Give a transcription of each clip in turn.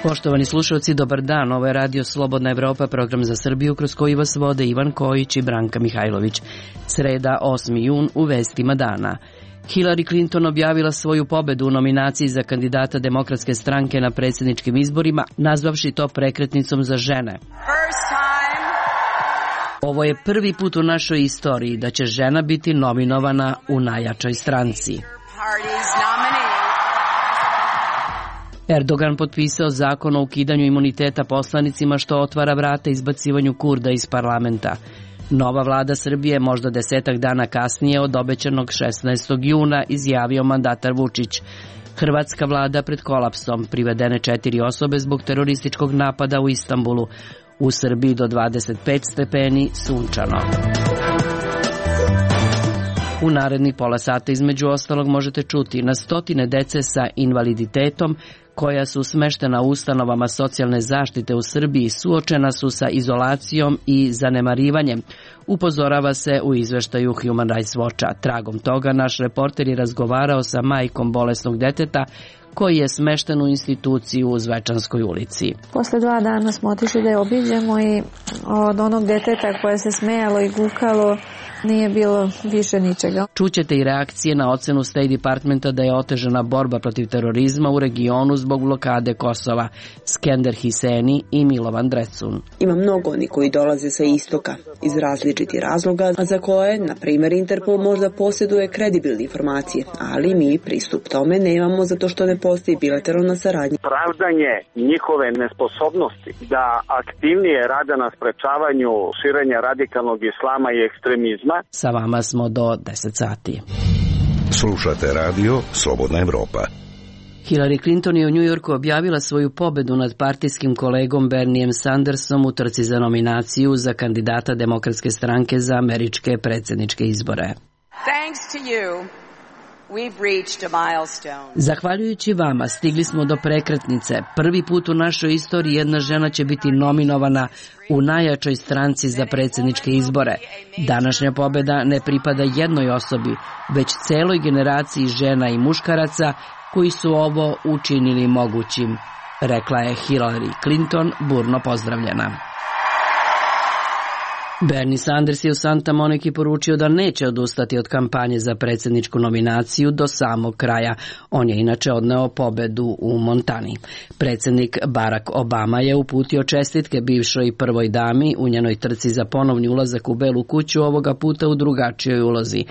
Poštovani slušalci, dobar dan. Ovo je Radio Slobodna Evropa, program za Srbiju kroz koji vas vode Ivan Kojić i Branka Mihajlović. Sreda, 8. jun, u vestima dana. Hillary Clinton objavila svoju pobedu u nominaciji za kandidata Demokratske stranke na predsjedničkim izborima, nazvavši to prekretnicom za žene. Ovo je prvi put u našoj istoriji da će žena biti nominovana u najjačoj stranci. Erdogan potpisao zakon o ukidanju imuniteta poslanicima, što otvara vrata izbacivanju Kurda iz parlamenta. Nova vlada Srbije možda 10 dana kasnije od obećanog 16. juna, izjavio mandatar Vučić. Hrvatska vlada pred kolapsom, privedene 4 osobe zbog terorističkog napada u Istanbulu. U Srbiji do 25 stepeni, sunčano. U narednih pola sata između ostalog možete čuti na stotine dece sa invaliditetom koja su smeštena u ustanovama socijalne zaštite u Srbiji suočena su sa izolacijom i zanemarivanjem, upozorava se u izveštaju Human Rights Watcha. Tragom toga naš reporter je razgovarao sa majkom bolesnog deteta koji je smešten u instituciju u Zvečanskoj ulici. Posle 2 dana smo otišli da je obiđemo i od onog deteta koje se smejalo i gukalo nije bilo više ničega. Čućete i reakcije na ocenu State Departmenta da je otežana borba protiv terorizma u regionu zbog blokade Kosova. Skender Hiseni i Milovan Drecun. Ima mnogo oni koji dolaze sa istoka iz različitih razloga, a za koje, na primjer, Interpol možda posjeduje kredibilne informacije, ali mi pristup tome nemamo zato što ne postoji bilateralna saradnja. Pravdanje njihove nesposobnosti da aktivnije rade na sprečavanju širenja radikalnog islama i ekstremizma. Sa vama smo do 10 sati. Slušate radio Slobodna Evropa. Hillary Clinton je u New Yorku objavila svoju pobedu nad partijskim kolegom Bernijem Sandersom u trci za nominaciju za kandidata Demokratske stranke za američke predsjedničke izbore. Thanks to you. Zahvaljujući vama stigli smo do prekretnice. Prvi put u našoj istoriji jedna žena će biti nominovana u najjačoj stranci za predsjedničke izbore. Današnja pobjeda ne pripada jednoj osobi, već celoj generaciji žena i muškaraca koji su ovo učinili mogućim, rekla je Hillary Clinton, burno pozdravljena. Bernie Sanders je u Santa Moniki poručio da neće odustati od kampanje za predsjedničku nominaciju do samog kraja. On je inače odneo pobedu u Montani. Predsjednik Barack Obama je uputio čestitke bivšoj prvoj dami u njenoj trci za ponovni ulazak u Belu kuću, ovoga puta u drugačijoj ulozi.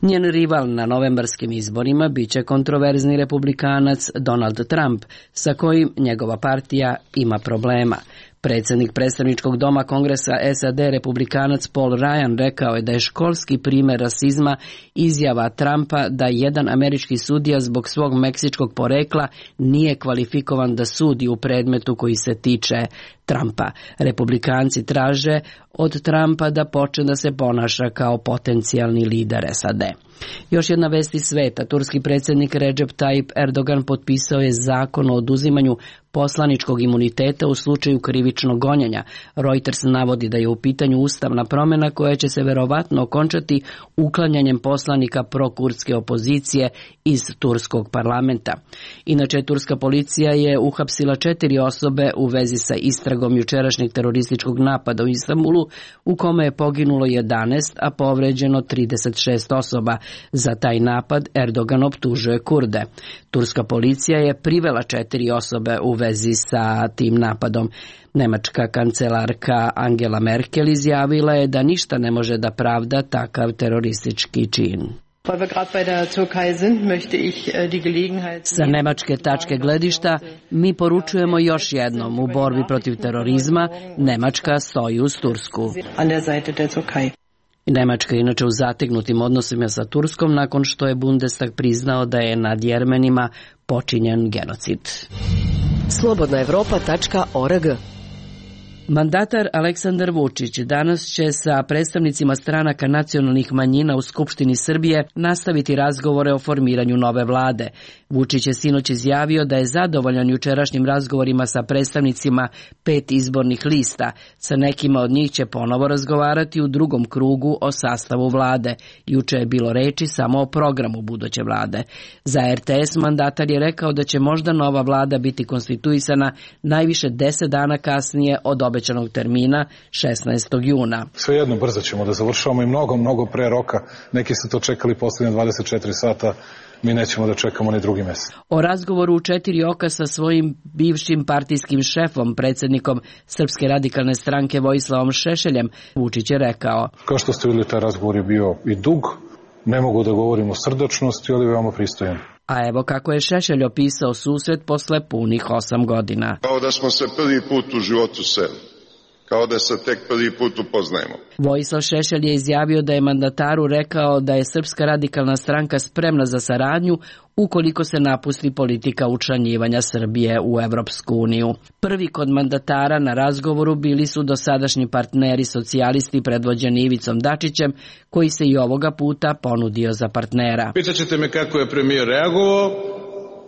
Njen rival na novembarskim izborima biće kontroverzni republikanac Donald Trump, sa kojim njegova partija ima problema. Predsjednik predstavničkog doma Kongresa SAD, republikanac Paul Ryan, rekao je da je školski primjer rasizma izjava Trumpa da jedan američki sudija zbog svog meksičkog porekla nije kvalifikovan da sudi u predmetu koji se tiče Trumpa. Republikanci traže od Trumpa da počne da se ponaša kao potencijalni lider SAD. Još jedna vest iz sveta. Turski predsjednik Recep Tayyip Erdogan potpisao je zakon o oduzimanju poslaničkog imuniteta u slučaju krivičnog gonjenja. Reuters navodi da je u pitanju ustavna promjena koja će se verovatno okončati uklanjanjem poslanika prokurdske opozicije iz turskog parlamenta. Inače, turska policija je uhapsila 4 osobe u vezi sa istragom jučerašnjeg terorističkog napada u Istanbulu, u kome je poginulo 11, a povređeno 36 osoba. Za taj napad Erdogan optužuje Kurde. Turska policija je privela 4 osobe u vezi sa tim napadom. Nemačka kancelarka Angela Merkel izjavila je da ništa ne može da pravda takav teroristički čin. Sa nemačke tačke gledišta mi poručujemo još jednom, u borbi protiv terorizma Nemačka stoji uz Tursku. Nemačka je inače u zategnutim odnosima sa Turskom nakon što je Bundestag priznao da je nad Jermenima počinjen genocid. Slobodnaevropa.org Mandatar Aleksandar Vučić danas će sa predstavnicima stranaka nacionalnih manjina u Skupštini Srbije nastaviti razgovore o formiranju nove vlade. Vučić je sinoć izjavio da je zadovoljan jučerašnjim razgovorima sa predstavnicima 5 izbornih lista. Sa nekima od njih će ponovo razgovarati u drugom krugu o sastavu vlade. Juče je bilo reči samo o programu buduće vlade. Za RTS mandatar je rekao da će možda nova vlada biti konstituisana najviše 10 dana kasnije od obećanog termina 16. juna. Svejedno brzo ćemo da završavamo i mnogo pre roka. Neki su to čekali posljednje 24 sata. Mi nećemo da čekamo ni drugi mesec. O razgovoru u 4 oka sa svojim bivšim partijskim šefom, predsjednikom Srpske radikalne stranke Vojislavom Šešeljem, Vučić je rekao: Kao što ste vidjeli, taj razgovor je bio i dug. Ne mogu da govorim o srdačnosti, ali veoma pristojan. A evo kako je Šešelj opisao susret posle punih 8 godina. Kao da smo se prvi put u životu seli. Kao da se tek prvi put upoznajemo. Vojislav Šešelj je izjavio da je mandataru rekao da je Srpska radikalna stranka spremna za saradnju ukoliko se napusti politika učlanjivanja Srbije u Evropsku uniju. Prvi kod mandatara na razgovoru bili su dosadašnji partneri socijalisti predvođeni Ivicom Dačićem, koji se i ovoga puta ponudio za partnera. Pitaćete me kako je premijer reagovao,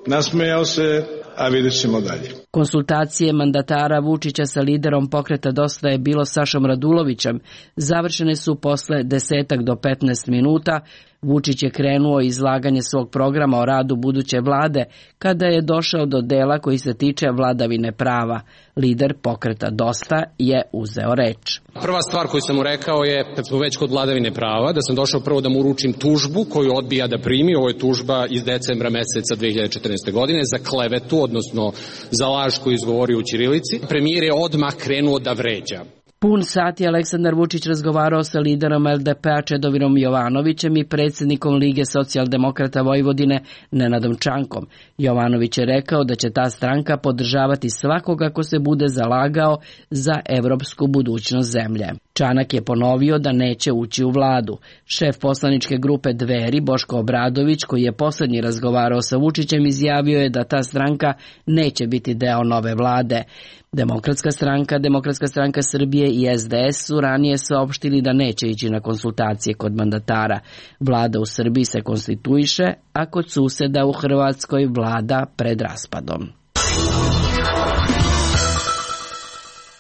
nasmejao se, a vidjet ćemo dalje. Konsultacije mandatara Vučića sa liderom pokreta Dosta je bilo Sašom Radulovićem. Završene su posle 10 do 15 minuta. Vučić je krenuo izlaganje svog programa o radu buduće vlade kada je došao do dela koji se tiče vladavine prava. Lider pokreta Dosta je uzeo reč. Prva stvar koju sam mu rekao je, kad smo već kod vladavine prava, da sam došao prvo da mu uručim tužbu koju odbija da primi. Ovo je tužba iz decembra meseca 2014. godine za klevetu, odnosno za laž koju izgovorio u ćirilici. Premijer je odmah krenuo da vređa. Pun sat je Aleksandar Vučić razgovarao sa liderom LDP-a Čedomirom Jovanovićem i predsjednikom Lige socijaldemokrata Vojvodine Nenadom Čankom. Jovanović je rekao da će ta stranka podržavati svakoga ko se bude zalagao za evropsku budućnost zemlje. Čanak je ponovio da neće ući u vladu. Šef poslaničke grupe Dveri, Boško Obradović, koji je posljednji razgovarao sa Vučićem, izjavio je da ta stranka neće biti deo nove vlade. Demokratska stranka Srbije i SDS su ranije saopštili da neće ići na konsultacije kod mandatara. Vlada u Srbiji se konstituiše, a kod suseda u Hrvatskoj vlada pred raspadom.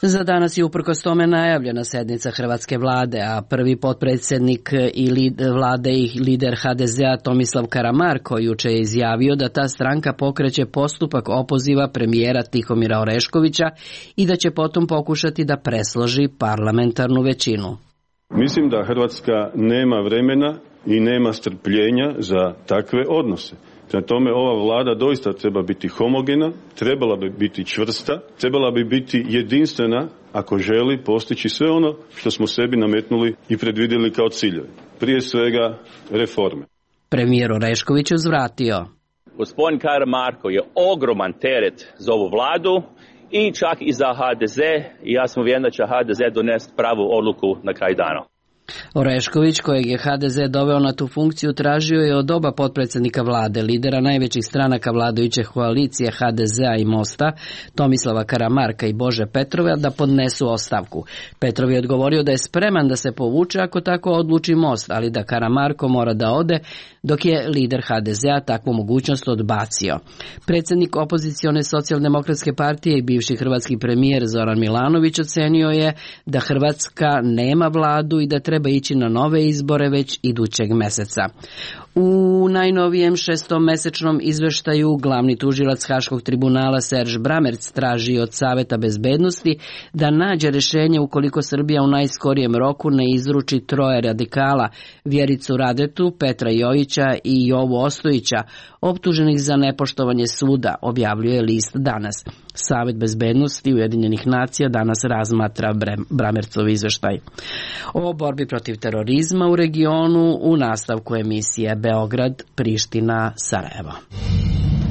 Za danas je uprkos tome najavljena sednica hrvatske vlade, a prvi potpredsjednik vlade i lider HDZ-a Tomislav Karamarko juče je izjavio da ta stranka pokreće postupak opoziva premijera Tihomira Oreškovića i da će potom pokušati da presloži parlamentarnu većinu. Mislim da Hrvatska nema vremena i nema strpljenja za takve odnose. Prema tome, ova vlada doista treba biti homogena, trebala bi biti čvrsta, trebala bi biti jedinstvena ako želi postići sve ono što smo sebi nametnuli i predvidjeli kao ciljeve. Prije svega reforme. Premijer Orešković uzvratio: Gospodin Karamarko je ogroman teret za ovu vladu i čak i za HDZ, i ja sam uvjeren da će HDZ donesti pravu odluku na kraj dana. Orešković, kojeg je HDZ doveo na tu funkciju, tražio je od oba potpredsjednika vlade, lidera najvećih stranaka vladajuće koalicije HDZ-a i Mosta, Tomislava Karamarka i Bože Petrova, da podnesu ostavku. Petrov je odgovorio da je spreman da se povuče ako tako odluči Most, ali da Karamarko mora da ode, dok je lider HDZ-a takvu mogućnost odbacio. Predsjednik opozicione socijaldemokratske partije i bivši hrvatski premijer Zoran Milanović ocenio je da Hrvatska nema vladu i da treba ići na nove izbore već idućeg meseca. U najnovijem 6-mesečnom izveštaju glavni tužilac Haškog tribunala Serž Bramerc traži od Saveta bezbednosti da nađe rješenje ukoliko Srbija u najskorijem roku ne izruči 3 radikala, Vjericu Radetu, Petra Jojića i Jovu Ostojića, optuženih za nepoštovanje suda, objavljuje list Danas. Savet bezbednosti Ujedinjenih nacija danas razmatra Bramercov izveštaj. O borbi protiv terorizma u regionu u nastavku emisije Beograd, Priština, Sarajevo.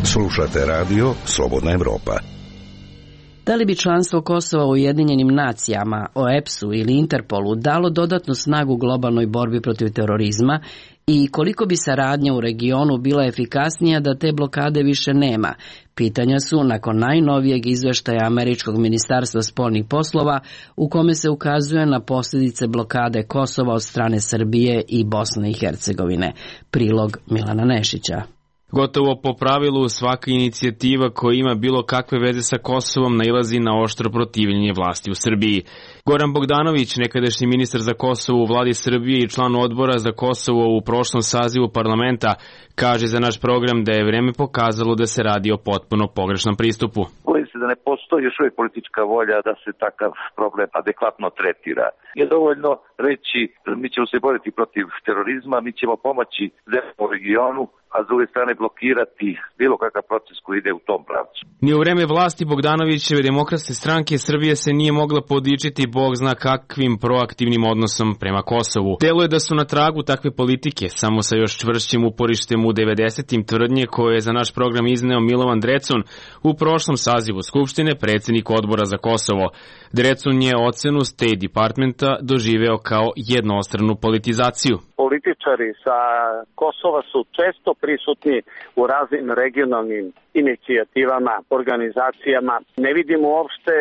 Slušate radio Slobodna Evropa. Da li bi članstvo Kosova u Ujedinjenim nacijama, OEPS-u ili Interpolu dalo dodatnu snagu globalnoj borbi protiv terorizma I koliko bi saradnja u regionu bila efikasnija da te blokade više nema? Pitanja su nakon najnovijeg izveštaja Američkog ministarstva spoljnih poslova u kome se ukazuje na posljedice blokade Kosova od strane Srbije i Bosne i Hercegovine. Prilog Milana Nešića. Gotovo po pravilu svaka inicijativa koja ima bilo kakve veze sa Kosovom nailazi na oštro protivljenje vlasti u Srbiji. Goran Bogdanović, nekadašnji ministar za Kosovo u vladi Srbije i član odbora za Kosovo u prošlom sazivu parlamenta, kaže za naš program da je vreme pokazalo da se radi o potpuno pogrešnom pristupu. Bojim se da ne postoji još uvijek politička volja da se takav problem adekvatno tretira. Nije dovoljno reći mi ćemo se boriti protiv terorizma, mi ćemo pomoći zemljama u regionu, a s druge strane blokirati bilo kakav proces koji ide u tom pravcu. Ni u vreme vlasti Bogdanovićeve Demokratske stranke Srbije se nije mogla podičiti bog zna kakvim proaktivnim odnosom prema Kosovu. Deluje da su na tragu takve politike, samo sa još čvršćim uporištem u 90-im tvrdnje koje je za naš program izneo Milovan Drecun u prošlom sazivu Skupštine, predsjednik odbora za Kosovo. Drecun je ocenu State Departmenta doživeo kao jednostranu politizaciju. Političari sa Kosova su često prisutni u raznim regionalnim inicijativama, organizacijama. Ne vidimo uopšte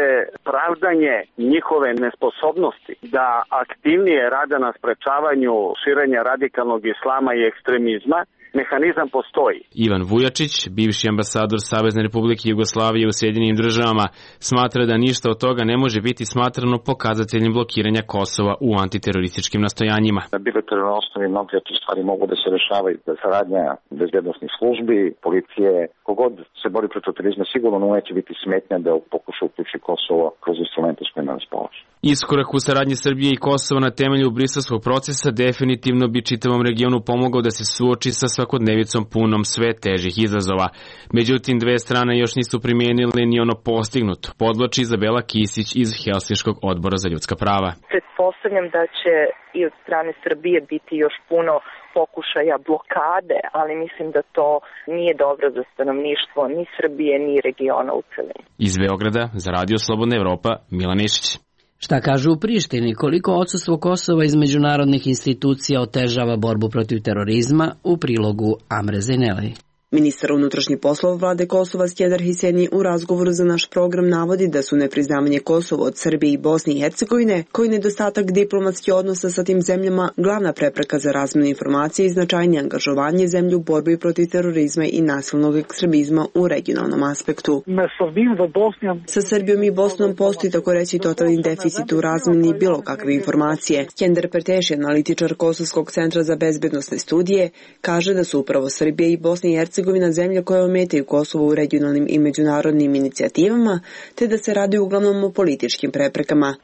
pravdanje njihove nesposobnosti da aktivnije rade na sprečavanju širenja radikalnog islama i ekstremizma. Mehanizam postoji. Ivan Vujačić, bivši ambasador Savezne Republike Jugoslavije u Sjedinjenim Državama, smatra da ništa od toga ne može biti smatrano pokazateljem blokiranja Kosova u antiterorističkim nastojanjima. Na bilateralnoj osnovi mnoge stvari mogu da se rešavaju, da saradnja bezbednosnih službi, policije, kogod se bori protiv terorizma sigurno neće biti smetnja da pokuša uključi Kosovo kroz instrumente s kojima raspolaže. Iskorak u saradnji Srbije i Kosova na temelju briselskog procesa definitivno bi čitavom regionu pomogao da se suoči sa svakodnevicom punom sve težih izazova. Međutim, dve strane još nisu primijenile ni ono postignuto, podvlači Izabela Kisić iz Helsinškog odbora za ljudska prava. Pretpostavljam da će i od strane Srbije biti još puno pokušaja blokade, ali mislim da to nije dobro za stanovništvo ni Srbije ni regiona u celini. Iz Beograda za Radio Slobodna Evropa, Milan Nešić. Šta kažu u Prištini, koliko odsustvo Kosova iz međunarodnih institucija otežava borbu protiv terorizma, u prilogu Amre Zeneli. Ministar unutrašnjih poslova vlade Kosova Skjedar Hiseni u razgovoru za naš program navodi da su nepriznavanje Kosova od Srbije i Bosne i Hercegovine, koji nedostatak diplomatskih odnosa sa tim zemljama, glavna prepreka za razmjenu informacije i značajnije angažovanje zemlje u borbi protiv terorizma i nasilnog ekstremizma u regionalnom aspektu. Sa Srbijom i Bosnom postoji tako reći totalni deficit u razmjeni bilo kakve informacije. Skender Perteši, analitičar Kosovskog centra za bezbednosne studije, kaže da su upravo Srbija i Bosna i Hercegovina zemlja koje ometaju Kosovo u regionalnim i međunarodnim inicijativama, te da se radi uglavnom o političkim preprekama.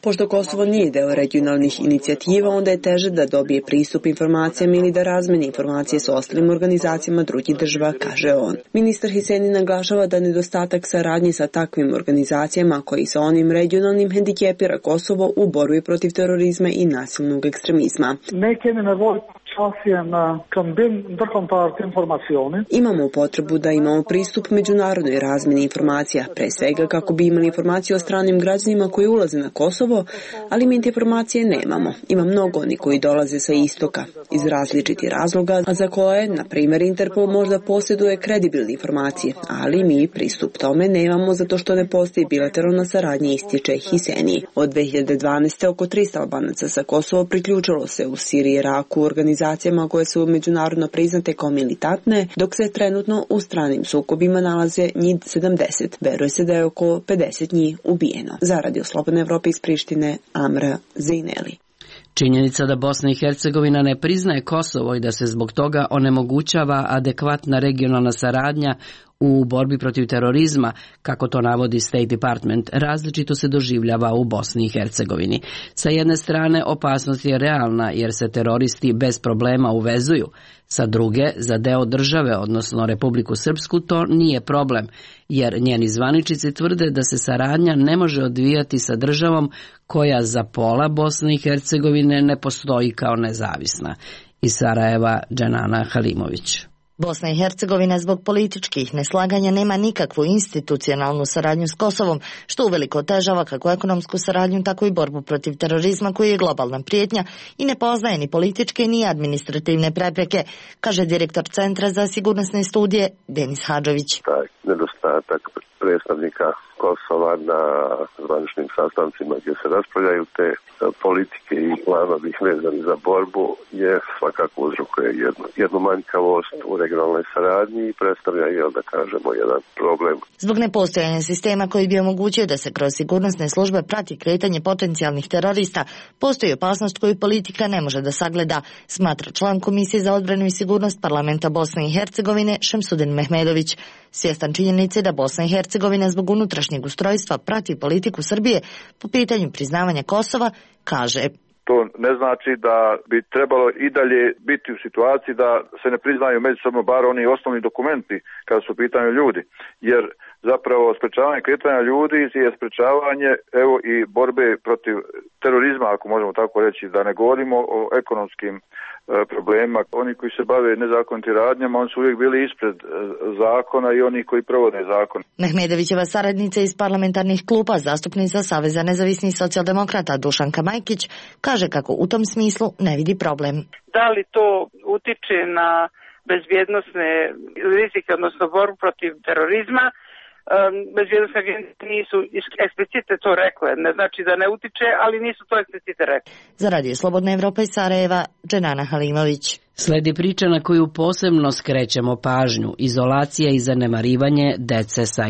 Pošto Kosovo nije deo regionalnih inicijativa, onda je teže da dobije pristup informacijama ili da razmeni informacije s ostalim organizacijama drugih država, kaže on. Ministar Hiseni naglašava da nedostatak saradnje sa takvim organizacijama koji sa onim regionalnim hendikepira Kosovo u borbi protiv terorizma i nasilnog ekstremizma. Imamo potrebu da imamo pristup međunarodnoj razmjeni informacija, pre svega kako bi imali informacije o stranim građanima koji ulaze na Kosovo, ali mi te informacije nemamo. Ima mnogo oni koji dolaze sa istoka, iz različitih razloga, a za koje, na primjer, Interpol možda posjeduje kredibilne informacije, ali mi pristup tome nemamo zato što ne postoji bilateralna saradnja, ističe Hiseni. Od 2012. oko 300 Albanaca sa Kosova priključilo se u Siriji i Iraku organizacijama koje su međunarodno priznate kao militantne, dok se trenutno u stranim sukobima nalaze njih 70. Veruje se da je oko 50 njih ubijeno. Za Radio Slobodne Evrope iz Prištine, Amra Zineli. Činjenica da Bosna i Hercegovina ne priznaje Kosovo i da se zbog toga onemogućava adekvatna regionalna saradnja u borbi protiv terorizma, kako to navodi State Department, različito se doživljava u Bosni i Hercegovini. Sa jedne strane, opasnost je realna jer se teroristi bez problema uvezuju. Sa druge, za deo države, odnosno Republiku Srpsku, to nije problem, jer njeni zvaničici tvrde da se saradnja ne može odvijati sa državom koja za pola Bosne i Hercegovine ne postoji kao nezavisna. Iz Sarajeva, Džanana Halimović. Bosna i Hercegovina zbog političkih neslaganja nema nikakvu institucionalnu saradnju s Kosovom, što uveliko otežava kako ekonomsku saradnju, tako i borbu protiv terorizma koji je globalna prijetnja i ne poznaje ni političke ni administrativne prepreke, kaže direktor Centra za sigurnosne studije Denis Hadžović. Taj nedostatak predstavnika Kosova na zvaničnim sastancima gdje se raspravljaju te politike i planovi vezani za borbu je svakako uzrokuje jednu manjkavost u regionalnoj saradnji i predstavlja i da kažemo jedan problem. Zbog nepostojanja sistema koji bi omogućio da se kroz sigurnosne službe prati kretanje potencijalnih terorista, postoji opasnost koju politika ne može da sagleda, smatra član Komisije za odbranu i sigurnost Parlamenta Bosne i Hercegovine Šemsudin Mehmedović. Svjestan činjenice da Bosna i Hercegovina zbog unutrašnjeg ustrojstva prati politiku Srbije po pitanju priznavanja Kosova, kaže: To ne znači da bi trebalo i dalje biti u situaciji da se ne priznaju međusobno bar oni osnovni dokumenti kada su u pitanju ljudi, jer zapravo sprečavanje kretanja ljudi je sprečavanje i borbe protiv terorizma, ako možemo tako reći, da ne govorimo o ekonomskim problemima. Oni koji se bave nezakonitim radnjama, oni su uvijek bili ispred zakona i oni koji provode zakon. Mehmedovićeva saradnica iz parlamentarnih klupa, zastupnica Saveza nezavisnih socijaldemokrata Dušanka Majkić, kaže kako u tom smislu ne vidi problem. Da li to utiče na bezbjednosne rizike, odnosno borbu protiv terorizma? Bezbjednostne agencije nisu eksplicite to rekle, ne znači da ne utiče, ali nisu to eksplicite rekle. Za Radio Slobodna Evropa iz Sarajeva, Dženana Halimović. Sledi priča na koju posebno skrećemo pažnju, izolacija i zanemarivanje dece sa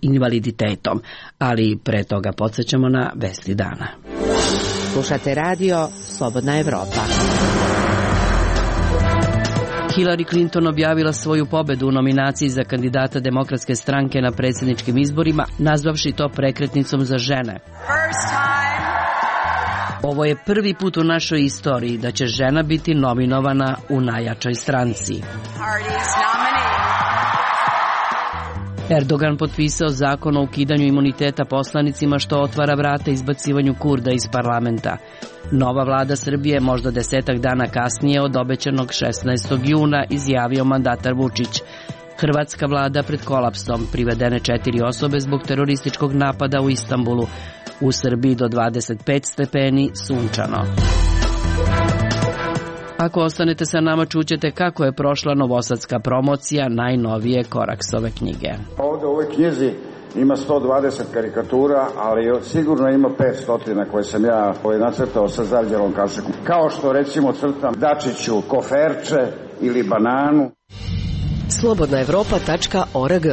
invaliditetom, ali pre toga podsjećamo na vesti dana. Slušate Radio Slobodna Evropa. Hillary Clinton objavila svoju pobedu u nominaciji za kandidata Demokratske stranke na predsjedničkim izborima, nazvavši to prekretnicom za žene. Ovo je prvi put u našoj istoriji da će žena biti nominovana u najjačoj stranci. Erdogan potpisao zakon o ukidanju imuniteta poslanicima, što otvara vrata izbacivanju Kurda iz parlamenta. Nova vlada Srbije možda 10 dana kasnije od obećanog 16. juna, izjavio mandatar Vučić. Hrvatska vlada pred kolapsom, privedene 4 osobe zbog terorističkog napada u Istanbulu. U Srbiji do 25 stepeni, sunčano. Ako ostanete sa nama, čućete kako je prošla novosadska promocija najnovije Koraksove knjige. Ovdje u ovoj knjizi ima 120 karikatura, ali sigurno ima 500 koje sam ja nacrtao sa zarđalom kašikom. Kao što recimo crtam Dačiću koferče ili bananu. Slobodnaevropa.org.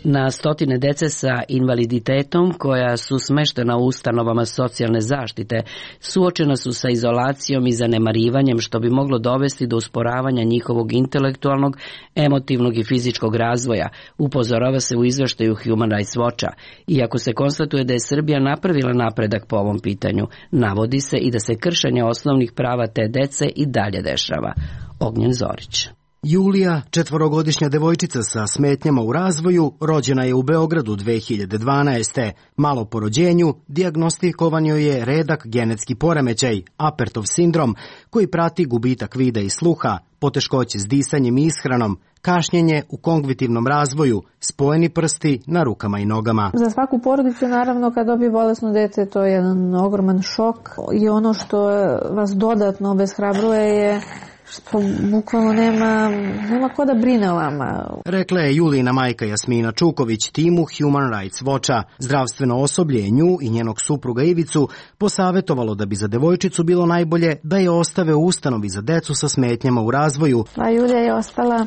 Na stotine dece sa invaliditetom koja su smeštena u ustanovama socijalne zaštite suočena su sa izolacijom i zanemarivanjem, što bi moglo dovesti do usporavanja njihovog intelektualnog, emotivnog i fizičkog razvoja, upozorava se u izveštaju Human Rights Watcha. Iako se konstatuje da je Srbija napravila napredak po ovom pitanju, navodi se i da se kršenje osnovnih prava te dece i dalje dešava. Ognjen Zorić. Julija, 4-godišnja devojčica sa smetnjama u razvoju, rođena je u Beogradu 2012. Malo po rođenju dijagnostikovan joj je redak genetski poremećaj, Apertov sindrom, koji prati gubitak vida i sluha, poteškoće s disanjem i ishranom, kašnjenje u kognitivnom razvoju, spojeni prsti na rukama i nogama. Za svaku porodicu, naravno, kad dobije bolesno dete, to je jedan ogroman šok i ono što vas dodatno obeshrabruje je što bukvalno nema ko da brine o vama. Rekla je Julijina majka Jasmina Čuković timu Human Rights Watcha. Zdravstveno osoblje je nju i njenog supruga Ivicu posavetovalo da bi za devojčicu bilo najbolje da je ostave u ustanovi za decu sa smetnjama u razvoju. A Julija je ostala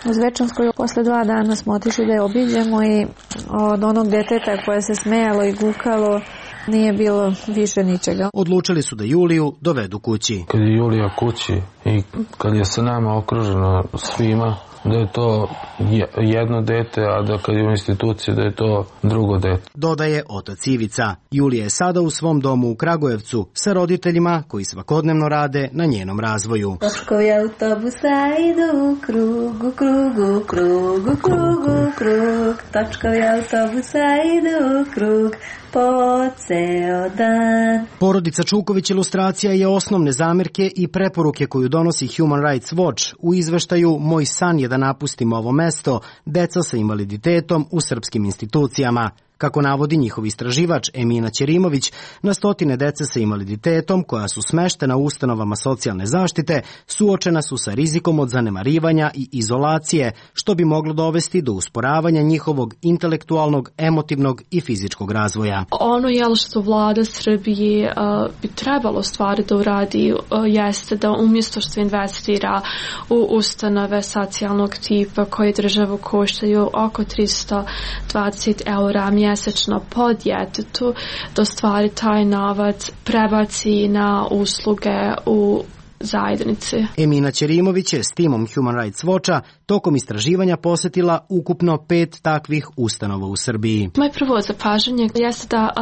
u Zvečanskoj. Posle 2 dana smo otišli da je obiđemo i od onog deteta koje se smejalo i gukalo nije bilo više ničega. Odlučili su da Juliju dovedu kući. Kad je Julija kući i kad je sa nama okružena svima, da je to jedno dete, a da kad je u instituciji da je to drugo dete. Dodaje otac Ivica. Julija je sada u svom domu u Kragujevcu sa roditeljima koji svakodnevno rade na njenom razvoju. Točkovi autobusa idu u krug, u krug, u krug, u krug, u krug. Točkovi autobusa idu u krug po ceo dan. Porodica Čuković ilustracija je osnovne zamerke i preporuke koju donosi Human Rights Watch u izveštaju "Moj san je da napustim ovo mesto, deca sa invaliditetom u srpskim institucijama". Kako navodi njihov istraživač Emina Ćerimović, na stotine dece sa invaliditetom koja su smeštena u ustanovama socijalne zaštite suočena su sa rizikom od zanemarivanja i izolacije, što bi moglo dovesti do usporavanja njihovog intelektualnog, emotivnog i fizičkog razvoja. Ono što vlada Srbije bi trebalo stvari da uradi jeste da umjesto što investira u ustanove socijalnog tipa koje državu koštaju oko 320 eura mjesečno po djetetu, da stvari taj novac prebaci na usluge u zajednici. Emina Ćerimović je s timom Human Rights Watcha tokom istraživanja posjetila ukupno 5 takvih ustanova u Srbiji. Moje prvo zapažanje jeste da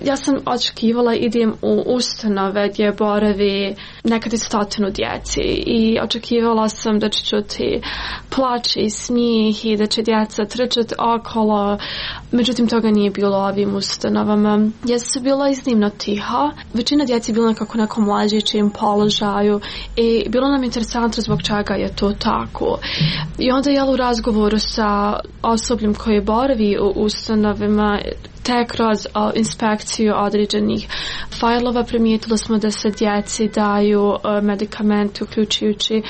ja sam očekivala idem u ustanove gdje boravi nekad i 100 djeci i očekivala sam da ću čuti plač i smijeh i da će djeca trčati okolo. Međutim, toga nije bilo u ovim ustanovama. Djeca su bila iznimno tiha. Većina djeci je bila nekako nekom mlađićim položaju i bilo nam interesantno zbog čega je to tako. I onda u razgovoru sa osobljem koje boravi u ustanovima te kroz inspekciju određenih fajlova primijetili smo da se djeci daju medikamenti uključujući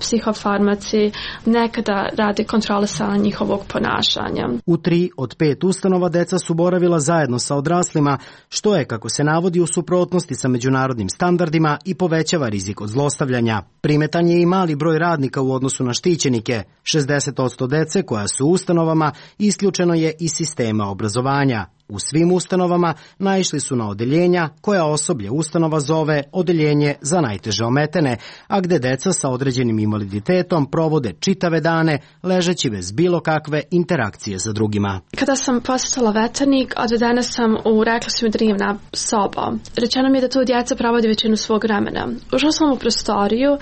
psihofarmaci, nekada rade kontrolisanja njihovog ponašanja. U 3 od 5 ustanova deca su boravila zajedno sa odraslima, što je, kako se navodi, u suprotnosti sa međunarodnim standardima i povećava rizik od zlostavljanja. Primetan je i mali broj radnika u odnosu na štićenike. 60% dece koja su u ustanovama isključeno je iz sistema obrazovanja. U svim ustanovama naišli su na odeljenja koja osoblje ustanova zove odeljenje za najteže ometene, a gde deca sa određenim invaliditetom provode čitave dane ležeći bez bilo kakve interakcije sa drugima. Kada sam posjetila veternik, odvedena sam u, rekla su mi, drevna soba. Rečeno mi je da tu djeca provode većinu svog vremena. Ušla sam u prostoriju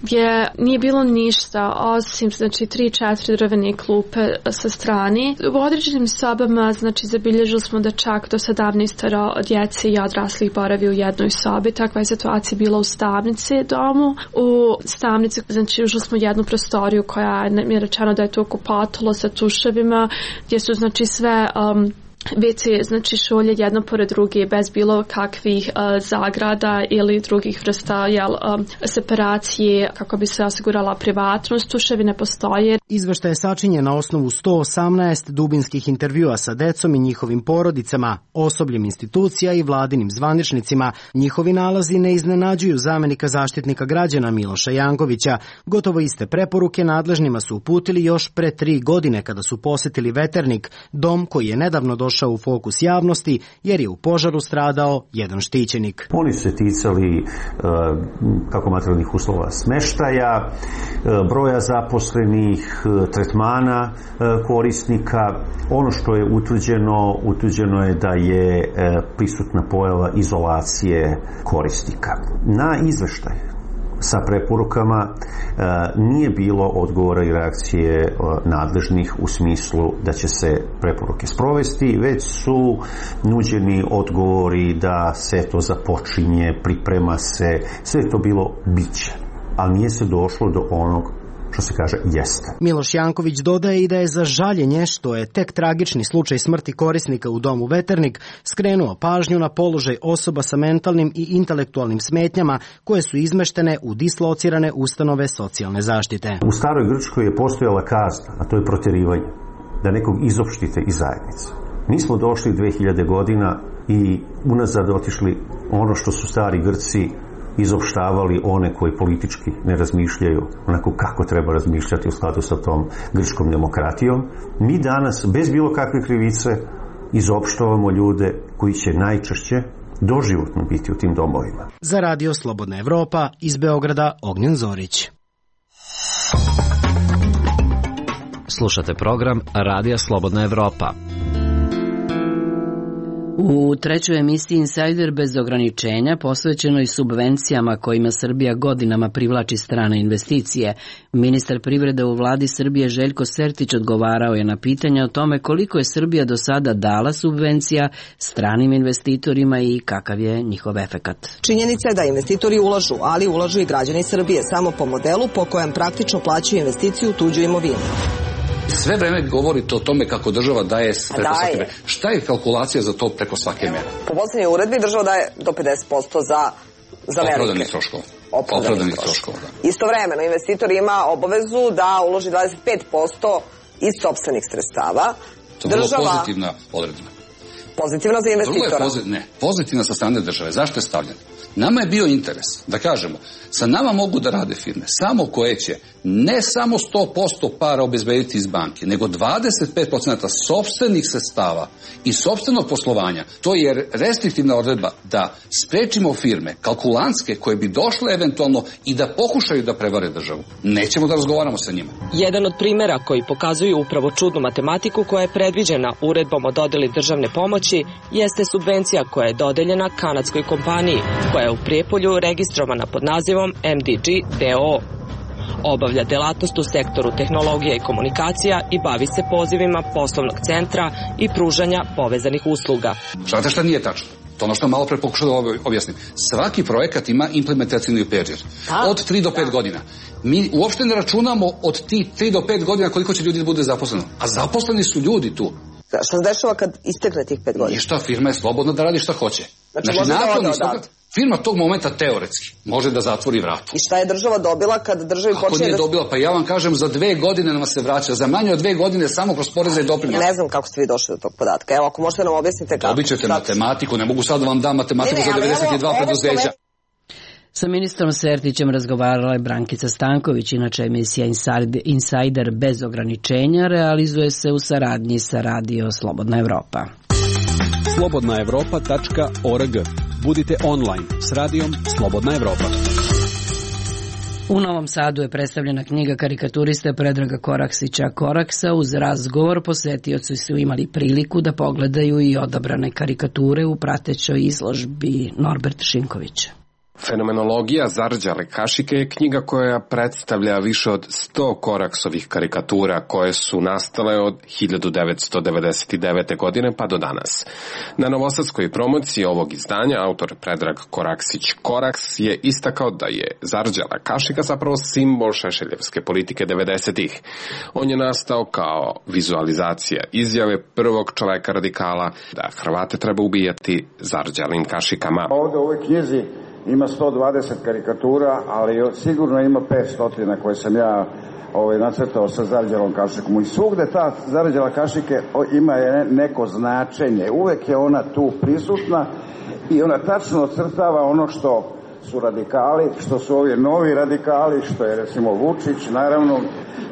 gdje nije bilo ništa osim 3-4 drvene klupe sa strane. U određenim sobama zabilježili smo da čak do 17 djece i odraslih boravi u jednoj sobi. Takva je situacija bila u Stavnici domu. U Stavnici ušli smo u jednu prostoriju koja je rečeno da je to okupatilo sa tuševima, gdje su sve WC, šolje jedno pored druge bez bilo kakvih zagrada ili drugih vrsta separacije kako bi se osigurala privatnost. Tuševi ne postoje. Izveštaj je sačinjen na osnovu 118 dubinskih intervjua sa decom i njihovim porodicama, osobljem institucija i vladinim zvaničnicima. Njihovi nalazi ne iznenađuju zamenika zaštitnika građana Miloša Jankovića. Gotovo iste preporuke nadležnima su uputili još pre 3 godine kada su posjetili Veternik, dom koji je nedavno došao u fokus javnosti jer je u požaru stradao jedan štićenik. Oni su se ticali kako materijalnih uslova smeštaja, broja zaposlenih, tretmana korisnika. Ono što je utvrđeno je da je prisutna pojava izolacije korisnika. Na izveštaj sa preporukama nije bilo odgovora i reakcije nadležnih u smislu da će se preporuke sprovesti, već su nuđeni odgovori da se to započinje, priprema se, sve je to bilo biće, ali nije se došlo do onog što se kaže jeste. Miloš Janković dodaje i da je za žaljenje što je tek tragični slučaj smrti korisnika u domu Veternik skrenuo pažnju na položaj osoba sa mentalnim i intelektualnim smetnjama koje su izmeštene u dislocirane ustanove socijalne zaštite. U staroj Grčkoj je postojala kazna, a to je protjerivanje, da nekog izopštite iz zajednice. Mi smo došli 2000 godina i unazad otišli ono što su stari Grci izopštavali, one koji politički ne razmišljaju onako kako treba razmišljati u skladu sa tom grčkom demokratijom. Mi danas bez bilo kakve krivice izopštavamo ljude koji će najčešće doživotno biti u tim domovima. Za Radio Slobodna Evropa iz Beograda Ognjen Zorić. Slušate program Radija Slobodna Evropa. U trećoj emisiji Insider bez ograničenja posvećenoj subvencijama kojima Srbija godinama privlači strane investicije, ministar privrede u vladi Srbije Željko Sertić odgovarao je na pitanja o tome koliko je Srbija do sada dala subvencija stranim investitorima i kakav je njihov efekat. Činjenica je da investitori ulažu, ali ulažu i građani Srbije samo po modelu po kojem praktično plaćaju investiciju u tuđu imovinu. Sve vreme govorite o tome kako država daje preko svake mere. Šta je kalkulacija za to preko svake mere? Po poslednjoj uredbi država daje do 50% za velike. Opravdanih troškova. Opravdanih troškova, da. Istovremeno, investitor ima obavezu da uloži 25% iz sopstvenih sredstava. To je vrlo pozitivna odredba. Pozitivna za investitora? Pozitivna sa strane države. Zašto je stavljena? Nama je bio interes da kažemo, sa nama mogu da rade firme samo koje će ne samo 100% para obezbediti iz banke, nego 25% sopstvenih sredstava i sopstvenog poslovanja. To je restriktivna odredba da sprečimo firme, kalkulantske, koje bi došle eventualno i da pokušaju da prevare državu. Nećemo da razgovaramo sa njima. Jedan od primera koji pokazuju upravo čudnu matematiku koja je predviđena uredbom o dodeli državne pomoći jeste subvencija koja je dodeljena kanadskoj kompaniji, koja je u Prijepolju registrovana pod nazivom MDG DO. Obavlja delatnost u sektoru tehnologija i komunikacija i bavi se pozivima poslovnog centra i pružanja povezanih usluga. Znate šta nije tačno? To ono što malo pre pokušao da objasnim. Svaki projekat ima implementacijni period. Od 3 do 5 godina. Mi uopšte ne računamo od tih 3 do 5 godina koliko će ljudi da bude zaposleno. A zaposleni su ljudi tu. Šta se dešava kad istekne tih 5 godina? Ništa, firma je slobodna da radi šta hoće. Znači firma tog momenta teoretski može da zatvori vrata. I šta je država dobila kad državi počne da... Ako nije dobila, pa ja vam kažem, za 2 godine nam se vraća. Za manje od 2 godine samo kroz poreze i doprinose. Ne znam kako ste vi došli do tog podatka. Evo, ako možete nam objasnite kako. Dobit ćete matematiku, ne mogu sad da vam dam matematiku za 92 preduzeća. Sa ministrom Sertićem razgovarala je Brankica Stanković, inače emisija Insider bez ograničenja realizuje se u saradnji sa Radio Slobodna Evropa. slobodnaevropa.org. Budite online s radijom Slobodna Evropa. U Novom Sadu je predstavljena knjiga karikaturiste Predraga Koraksića Koraksa. Uz razgovor posetioci su imali priliku da pogledaju i odabrane karikature u pratećoj izložbi. Norbert Šinković. Fenomenologija Zarđale Kašike je knjiga koja predstavlja više od 100 Koraksovih karikatura koje su nastale od 1999. godine pa do danas. Na novosadskoj promociji ovog izdanja autor Predrag Koraksić Koraks je istakao da je Zarđala Kašika zapravo simbol šešeljevske politike 90-ih. On je nastao kao vizualizacija izjave prvog čoveka radikala da Hrvate treba ubijati zarđalim kašikama. Ovde u ovoj knjizi ima 120 karikatura, ali sigurno ima 500 koje sam ja nacrtao sa zarđalom kašikom. I svugde ta zarđala kašike ima neko značenje. Uvek je ona tu prisutna i ona tačno ocrtava ono što su radikali, što su ovi novi radikali, što je recimo Vučić, naravno,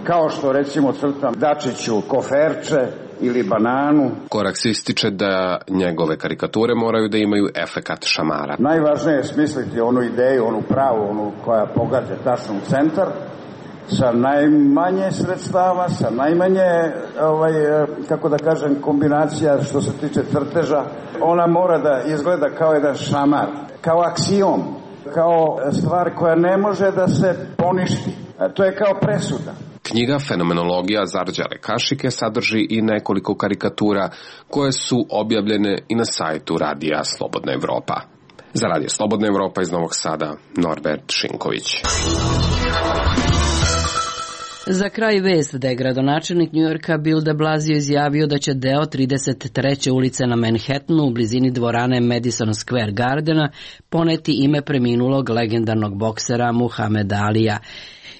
kao što recimo crtam Dačiću koferče ili bananu. Koraks ističe da njegove karikature moraju da imaju efekat šamara. Najvažnije je smisliti onu ideju, onu pravu, onu koja pogađa tačno u centar, sa najmanje sredstava, sa najmanje, kako da kažem, kombinacija što se tiče crteža. Ona mora da izgleda kao jedan šamar, kao aksijom, kao stvar koja ne može da se poništi. To je kao presuda. Knjiga Fenomenologija Zarđale Kašike sadrži i nekoliko karikatura koje su objavljene i na sajtu Radija Slobodna Evropa. Za Radio Slobodna Evropa iz Novog Sada, Norbert Šinković. Za kraj vest da je gradonačelnik Njujorka Bill de Blasio izjavio da će deo 33. ulice na Manhattanu u blizini dvorane Madison Square Gardena poneti ime preminulog legendarnog boksera Muhameda Alija.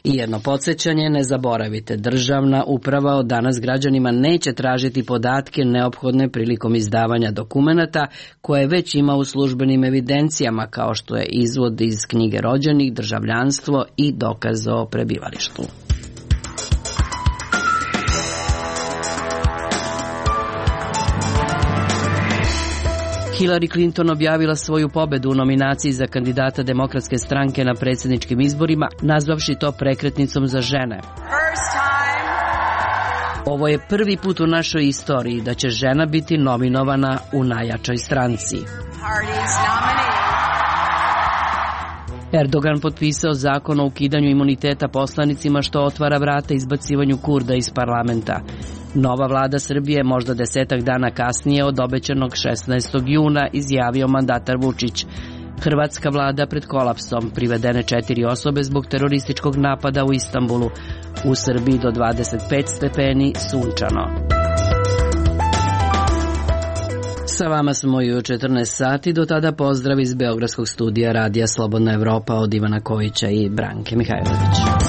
I jedno podsjećanje, ne zaboravite, državna uprava od danas građanima neće tražiti podatke neophodne prilikom izdavanja dokumenata koje već ima u službenim evidencijama, kao što je izvod iz knjige rođenih, državljanstvo i dokaz o prebivalištu. Hillary Clinton objavila svoju pobedu u nominaciji za kandidata Demokratske stranke na predsjedničkim izborima, nazvavši to prekretnicom za žene. Ovo je prvi put u našoj istoriji da će žena biti nominovana u najjačoj stranci. Erdogan potpisao zakon o ukidanju imuniteta poslanicima što otvara vrata izbacivanju Kurda iz parlamenta. Nova vlada Srbije možda 10 dana kasnije od obećanog 16. juna izjavio mandatar Vučić. Hrvatska vlada pred kolapsom, privedene 4 osobe zbog terorističkog napada u Istanbulu. U Srbiji do 25 stepeni sunčano. Sa vama smo i u 14 sati, do tada pozdrav iz Beogradskog studija Radija Slobodna Evropa od Ivana Kojića i Branke Mihajlović.